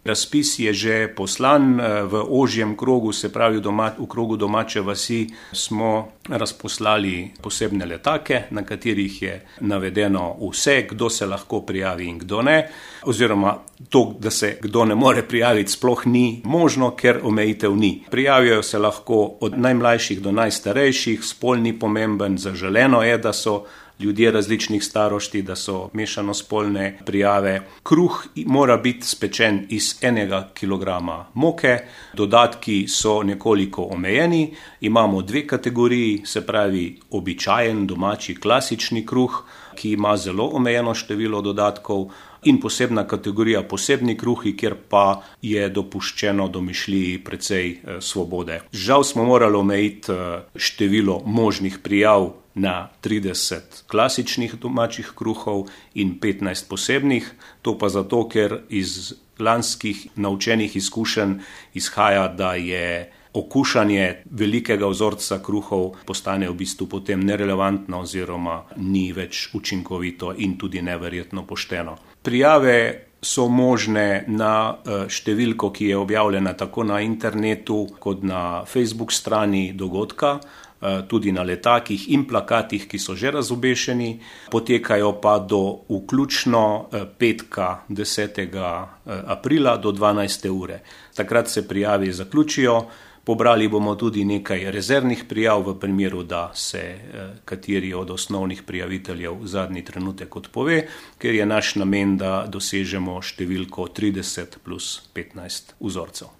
Razpis je že poslan v ožjem krogu, se pravi v krogu domače vasi smo razposlali posebne letake, na katerih je navedeno vse, kdo se lahko prijavi in kdo ne, oziroma to, da se kdo ne more prijaviti, sploh ni možno, ker omejitev ni. Prijavijo se lahko od najmlajših do najstarejših, spol ni pomemben, zaželeno je, da so ljudje različnih starosti, da so mešano spolne prijave. Kruh mora biti spečen iz 1 kilograma moke, dodatki so nekoliko omejeni, imamo 2 kategoriji, se pravi običajen domači klasični kruh, ki ima zelo omejeno število dodatkov, in posebna kategorija posebni kruhi, kjer pa je dopuščeno domišljiji precej svobode. Žal smo morali omejiti število možnih prijav na 30 klasičnih domačih kruhov in 15 posebnih, to pa zato, ker iz lanskih naučenih izkušenj izhaja, da je okušanje velikega vzorca kruhov postane v bistvu potem nerelevantno oziroma ni več učinkovito in tudi neverjetno pošteno. Prijave so možne na številko, ki je objavljena tako na internetu kot na Facebook strani dogodka, tudi na letakih in plakatih, ki so že razobešeni, potekajo pa do vključno petka 10. aprila do 12. ure. Takrat se prijavi zaključijo. Pobrali bomo tudi nekaj rezervnih prijav v primeru, da se kateri od osnovnih prijaviteljev zadnji trenutek odpove, ker je naš namen, da dosežemo številko 30 plus 15 vzorcev.